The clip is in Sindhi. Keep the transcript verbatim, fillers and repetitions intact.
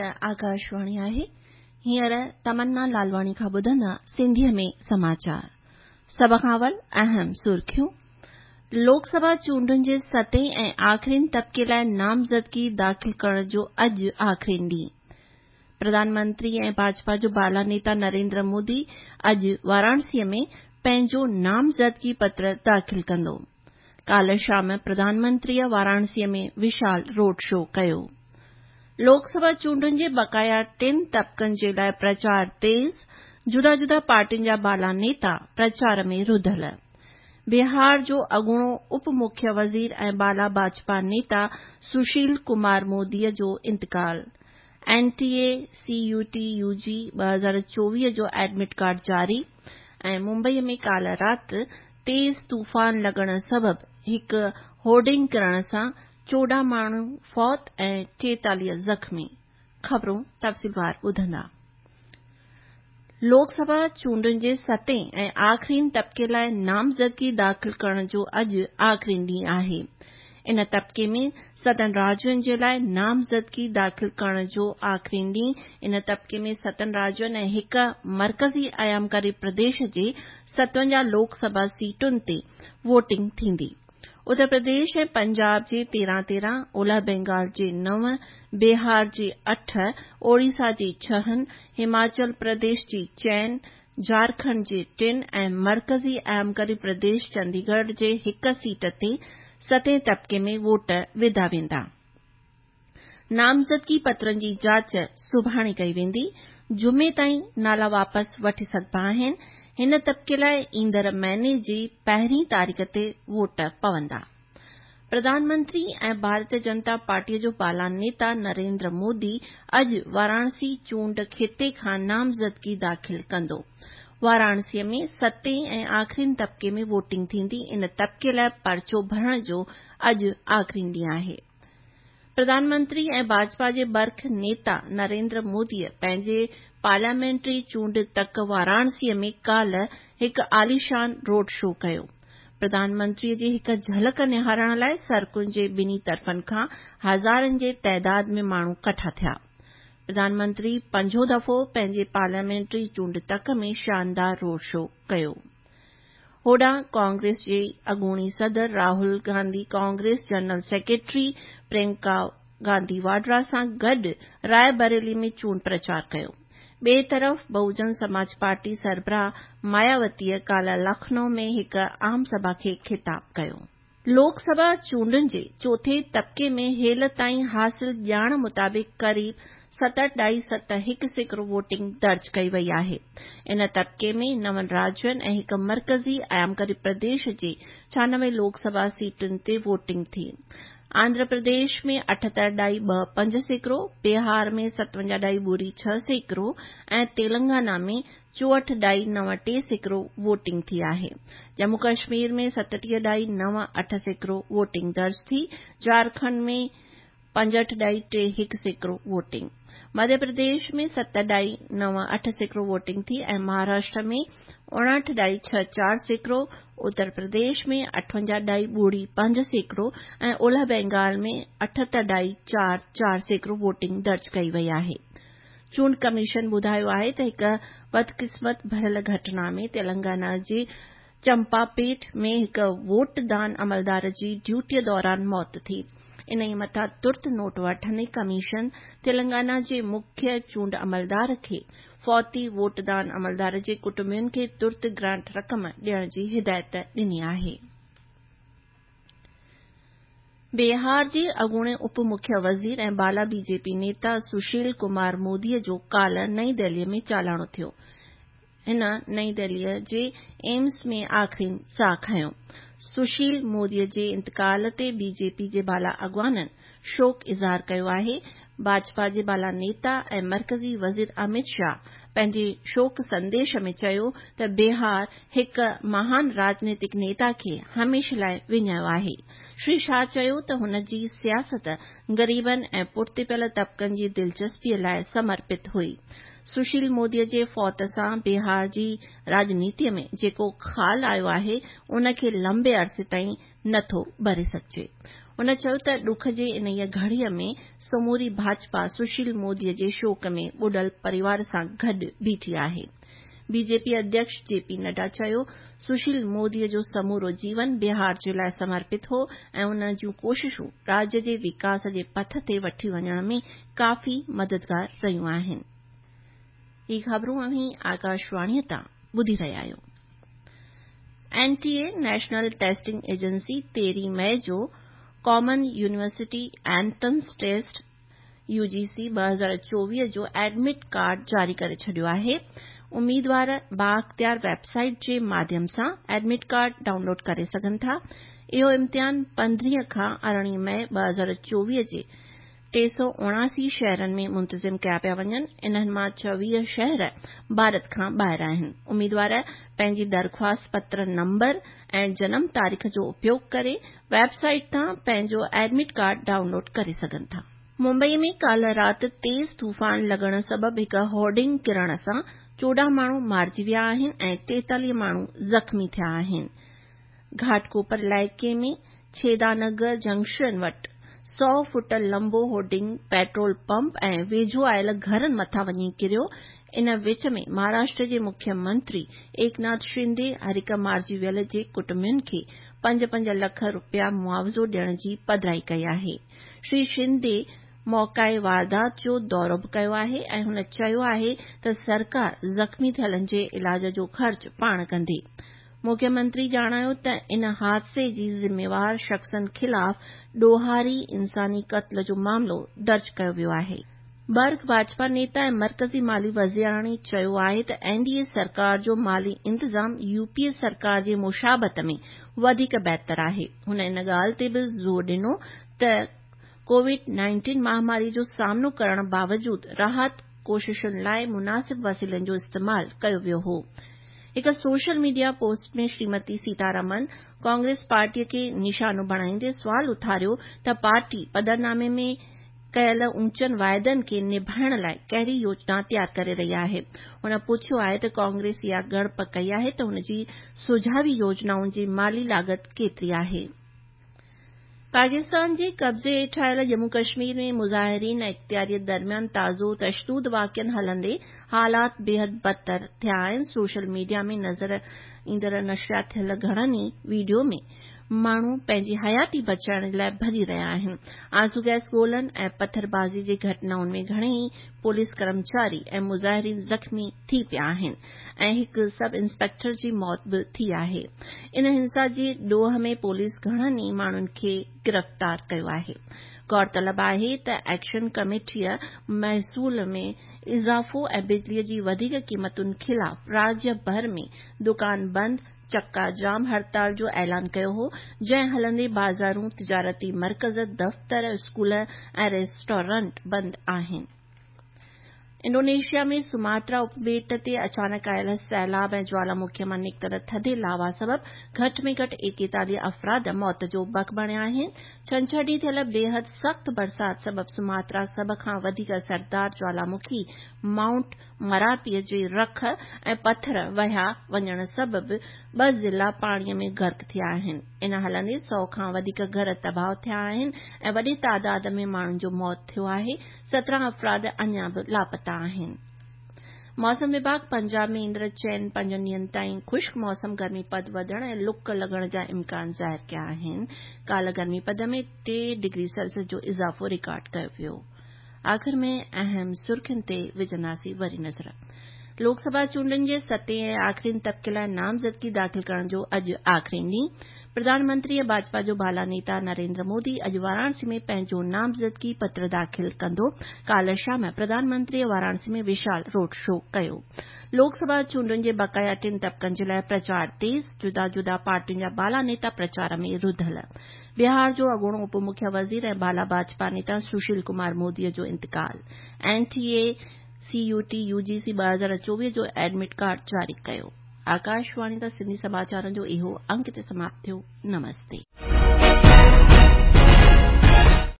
هيء آڪاشواڻي آهي. هينئر تمنا لالواڻي کان ٻڌندا سنڌيء ۾ سماچار. سڀ کان اول اهم سرخيون. لوڪ سڀا چونڊن جي ستين ۽ آخرين طبقي لاءِ نامزدگي داخل ڪرڻ جو اڄ آخرين ڏينهن. پرڌان منتري ۽ ڀاجپا جو بالا نيتا نريندر مودي اڄ واراڻسيء ۾ پنهنجو نامزدگي پتر داخل ڪندو. ڪالهه شام پرڌان منتريء واراڻسيء ۾ وشال روڊ شو ڪيو. لوڪ سڀا چونڊن جي بقايا ٽن طبقن جي لاءِ پرچار تيز، جدا جدا پارٽين جا بالا نيتا پرچار ۾ رڌل. بهار جو اڳوڻو اپ مکيه وزير ۽ بالا ڀاجپا نيتا سشيل ڪمار موديء جو انتقال. N T A C U T U جي ٻه هزار چوويهه جو ايڊمٽ ڪارڊ جاري ۽ ممبئي ۾ ڪالهه رات تيز طوفان لڳڻ سبب هڪ هورڊنگ ڪرڻ سان چوڏهن ماڻهو فوت ۽ ٽيتاليهه زخمي. خبرون تفصيلوار ٻڌندا. لوڪ سڀا چونڊن جي ستين ۽ آخرين طبقي لاءِ نامزدگي داخل ڪرڻ جو اڄ آخرين ڏينهن آهي. ان طبقي ۾ ستن راجين جي لاءِ نامزدگي داخل ڪرڻ جو آخرين ڏينهن. ان طبقي ۾ ستن راجين ۽ هڪ مرڪزي ايامڪاري پرديش جي ستونجاهه لوڪ سڀا سيٽن تي ووٽنگ ٿيندي. اتر پرديش ۽ پنجاب جي تيرهن تيرهن، اولهه بينگال جي نو، بهار جي اٺ، اوڙيسا جي ڇهن، هماچل پرديش جي چئن، جهارکنڊ جي ٽن ۽ مرڪزي ايامڪاري پرديش چنديڳڙهه جي هڪ سيٽ تي ستين طبقي ۾ ووٽ وڌا ويندا. نامزدگي پترن جي جاچ سڀاڻي ڪئي ويندي. جمعي تائين نالا واپس وٺي سگهبا آهن. هن طبقي لاءِ ايندڙ مهيني جي پهرين تاريخ تي ووٽ پوندا. پرڌان منتري ۽ ڀارتيه جنتا پارٽيء جو بالا نيتا نريندر مودي اڄ واراڻسي چونڊ کيتي کان نامزدگي داخل ڪندو. واراڻسيء ۾ ستين ۽ آخرين طبقي ۾ ووٽنگ ٿيندي. ان طبقي لاءِ پرچو ڀرڻ جو اڄ آخرين ڏينهن آهي. پرڌان منتري ۽ ڀاجپا جي برک نيتا نريندر موديء پنهنجي پارليامينٽري چونڊ تڪ واراڻسيء ۾ ڪالهه هڪ عاليشان روڊ شو ڪيو. پرڌان منتريء جي هڪ جهلڪ نهارڻ لاءِ سڙڪن جي ٻنهي طرفن کان هزارن جي تعداد ۾ ماڻهو ڪٺا ٿيا. پرڌان منتري پنجون دفعو پنهنجي پارليامينٽري چونڊ تڪ ۾ شاندار روڊ شو ڪيو. هوڏانهن ڪانگريس جي اڳوڻي صدر راهول گانڌي ڪانگريس جنرل سيڪريٽري پريانڪا گانڌي واڊرا سان گڏ راءِ بريلي ۾ چونڊ پرچار ڪيو. ٻئي طرف بهوجن سماج پارٽي سربراهه ماياوتيء ڪالهه لکنؤ ۾ هڪ عام سڀا کي خطاب ڪيو. لوڪ سڀا چونڊن جي چوٿين طبقي ۾ هيل تائين حاصل ڄاڻ مطابق قريب ست ڏهائي ست هڪ سيڪڙو ووٽنگ درج ڪئي وئي آهي. ان طبقي ۾ نون راجين ۽ هڪ مرڪزي ايامڪاري پرديش جي ڇهانوي لوڪ سڀا سيٽن تي ووٽنگ ٿي. آنڌرا پرديش ۾ اٺهتر ڏهائي ٻه پنج سيڪڙو، بهار ۾ ستونجاهه ڏهائي ٻڙي ڇهه سيڪڙو ۽ تيلنگانا ۾ چوهٺ ڏهائي نو ٽي سيڪڙو ووٽنگ ٿي آهي. ڄمون ڪشمير ۾ ستٽيهه ڏهائي نو اٺ سيڪڙو ووٽنگ درج ٿي. جهارکنڊ ۾ پنجهٺ ڏهائي ٽي هڪ سيڪڙو ووٽنگ. مڌيه پرديش ۾ ست ڏهائي نو اٺ سيڪڙو ووٽنگ ٿي ۽ مهاراشٽر ۾ اڻهٺ ڏهائي ڇهه چار سيڪڙو، اتر پرديش ۾ اٺونجاهه ڏهائي ٻڙي پنج سيڪڙو ۽ اولهه بينگال ۾ اٺهتر ڏهائي چار چار سيڪڙو ووٽنگ درج ڪئي وئي آهي. چونڊ ڪميشن ٻڌايو آهي ته هڪ بدقسمت ڀريل گهٽنا ۾ تيلنگانا جي چمپاپيٽ ۾ هڪ ووٽ دان عملدار جي ڊيوٽيء دوران موت ٿي. انهيء مٿان ترت نوٽ وٺندي ڪميشن تيلنگانا جي مکيه چونڊ عملدار کي فوتي ووٽ دان عملدار جي ڪٽنبن کي ترت گرانٽ رقم ڏيڻ جي هدايت ڏني آهي. بهار جي اڳوڻي اپ مکيه وزير ۽ بالا بي جي پي نيتا سشيل ڪمار موديء جو ڪالهه نئين دهليء ۾ چالاڻو ٿيو. هن نئين دهليء جي ايمس ۾ آخرين ساهه کنيو. سشيل موديء جي انتقال تي بي جي پي جي بالا اڳواڻن شوڪ اظهار ڪيو آهي. ڀاجپا جي بالا نيتا ۽ مرڪزي وزير امت شاهه پنهنجي شوڪ سنديش ۾ چيو ته بهار هڪ مهان راڄنيتڪ نيتا کي هميشه لاءِ وڃايو آهي. شري شاهه چيو ته هن جي سياست غريبن ۽ پٺتي پيل طبقن جي دلچسپيء لاءِ سمرپت هئي. سشيل موديء جي فوت سان بهار جي راڄنيتيء ۾ جيڪو خال آيو آهي، ان کي لمبي عرصي تائين نٿو ڀري سگهجي. هن چيو ته ڏک جي انهيء گهڙيء ۾ سموري ڀاجپا سشيل موديء جي شوڪ ۾ ٻڏل پريوار سان گڏ بيٺي آهي. بي جي پي اڌيڪش جي پي نڊا چيو، سشيل موديء جو سمورو جيون بهار جي لاء سمرپت هو ۽ ان جون ڪوششون راجيه جي وڪاس جي پٿ تي وٺي وڃڻ ۾ ڪافي مددگار رهيون آهن. هي خبرون اوهين آڪاشواڻيء تان ٻڌي رهيا آهيو. N T A national testing agency تيرهين مئي جو common university entrance test U G C ٻه هزار چوويهه جو ايڊمٽ ڪارڊ جاري ڪري ڇڏيو آهي. اميدوار بااختيار ويب سائيٽ جي ماڌيم سان ايڊمٽ ڪارڊ ڊائونلوڊ ڪري سگهن ٿا. اهو امتحان پندرهين کان ارڙهين مئي ٻه هزار چوويهه جي ٽي سؤ اڻاسي شهرن ۾ منتظم ڪيا پيا وڃن. انهن مان چوويهه شهر ڀارت کان ٻاهر آهن. اميدوار پنهنجي درخواست پتر نمبر ۽ جنم تاريخ جو اپيوگ ڪري ويب سائيٽ تان پنهنجو ايڊمٽ ڪارڊ ڊائونلوڊ ڪري سگهن ٿا. ممبئي ۾ ڪالهه رات تيز طوفان لڳڻ سبب هڪ هورڊنگ ڪرڻ سان چوڏهن ماڻهو مارجي ويا آهن ۽ ٽيتاليهه ماڻهو زخمي ٿيا آهن. گهاٽڪوپر علائقي ۾ ڇيدانگر جنڪشن وٽ سؤ فوٽ لنبو هورڊنگ پيٽرول پمپ ۽ ويجهو آيل گهرن مٿان وڃي ڪريو. ان وچ ۾ مهاراشٽر جي مکيه منتري ايڪناٿ شندي هر هڪ مارجي ويل جي ڪٽنبن کي پنج پنج لک رپيا معاوضو ڏيڻ جي پڌرائي ڪئي آهي. شري شندي موقعي واردات جو دورو به ڪيو آهي ۽ هن چيو آهي ته سرڪار زخمي ٿيلن جي علاج جو خرچ پاڻ ڪندي. مکيه منتري ڄاڻايو ته ان حادثي جي ذميوار شخصن خلاف ڏوهاري انساني قتل جو معاملو درج ڪيو ويو آهي. برک ڀاجپا نيتا ۽ مرڪزي مالي وزيراڻي چيو آهي ته اين ڊي اي سرڪار جو مالي انتظام يو پي اي سرڪار جي مشابهت ۾ وڌيڪ بهتر آهي. هن ان ڳالهه تي به زور ڏنو ته ڪووڊ نائنٽين مهاماري جو سامنو ڪرڻ باوجود راحت ڪوششن لاء مناسب وسيلن جو استعمال ڪيو ويو هو. هڪ social media post ۾ Shrimati Sitharaman Congress پارٽيء کي نشانو بڻائيندي سوال اٿاريو ته پارٽي پڌرنامي ۾ ڪيل اوچن واعدن کي نڀائڻ لاء ڪهڙي يوجنا تيار ڪري رهي آهي. هن پڇيو آهي ته ڪانگريس اها ڳڻپ ڪئي آهي ته هن جي سجهاوي يوجنائن جي مالي لاڳت ڪيتري آهي. پاڪستان جي قبضي هيٺ آيل ڄمون ڪشمير ۾ مظاهرين ۽ اختياري درميان تازو تشدد واقعن هلندي حالات بيحد بدتر ٿيا آهن. سوشل ميڊيا ۾ نظر ايندڙ نشريات ٿيل گهڻن ئي وڊيو ۾ ماڻهو پنهنجي حياتي بچائڻ جي لاء ڀڄي رهيا آهن. آنسو گئس گولن ۽ پٿربازي جي گهٽنائن ۾ گهڻيئي پوليس ڪرمچاري ۽ مظاهرين زخمي ٿي پيا آهن ۽ هڪ سب انسپيڪٽر جي موت به ٿي آهي. ان هنسا جي ڏوهه ۾ پوليس گهڻن ئي ماڻهن کي گرفتار ڪيو آهي. غور طلب آهي ته ايڪشن ڪميٽيء محصول ۾ اضافو ۽ بجليء جي وڌيڪ قيمتن خلاف راجيه ڀر ۾ دڪان بند، چڪا جام هڙتال جو اعلان ڪيو هو، جنهن هلندي بازارون، تجارتي مرڪز، دفتر، اسڪول ۽ ريسٽورنٽ بند آهن. انڊونيشيا ۾ سماترا اپٻيٽ تي اچانڪ آيل سيلاب ۽ جوالامکي مان نڪتل ٿڌي لاوا سبب گهٽ ۾ گهٽ ايڪيتاليهه افراد موت جو بک بڻيا آهن. ڇنڇر ڏينهن ٿيل بيحد سخت برسات سبب سماترا سڀ کان وڌيڪ اثردار جوالامکي مائونٽ مراپيء جي رک ۽ پٿر وهيا وڃڻ سبب ٻه ضلعا پاڻيء ۾ غرق ٿيا آهن. ان هلندي سؤ کان وڌيڪ گهر تباهه ٿيا آهن ۽ وڏي تعداد ۾ ماڻهن جو موت ٿيو آهي. سترهن افراد اڃا به لاپتا آهن. موسم وڀاڳ پنجاب ۾ ايندڙ چئن پنجن ڏينهن تائين خشڪ موسم، گرمي پد وڌڻ ۽ لڪ لڳڻ جا امڪان ظاهر ڪيا آهن. ڪالهه گرمي پد ۾ ٽي ڊگري سيلسيس جو اضافو رڪارڊ ڪيو ويو. آخر ۾ اهم سرخين تي وجهنداسين وري نظر. لوڪ سڀا چونڊن جي ستين ۽ آخرين طبقي لاء نامزدگي داخل ڪرڻ جو اڄ آخرين ڏينهن. پرڌان منتري ۽ ڀاجپا جو بالا نيتا نريندر مودي اڄ واراڻسي ۾ پنهنجو نامزدگي پتر داخل ڪندو. ڪالهه شام پرڌان منتريء واراڻسي ۾ وشال روڊ شو ڪيو. لوڪ سڀا چونڊن جي بقايا ٽن طبقن جي لاء پرچار تيز، جدا جدا پارٽين جا بالا نيتا پرچار ۾ رڌل. بهار جو اڳوڻو اپ مکيه وزير ۽ بالا ڀاجپا نيتا سشيل ڪمار موديء جو انتقال. N T A C U T U G C ٻه هزار چوويهه جو ايڊمٽ ڪارڊ جاري ڪيو. آڪاشواڻي تان سنڌي سماچارن جو اهو انڪ هتي سماپت ٿيو. نمستي.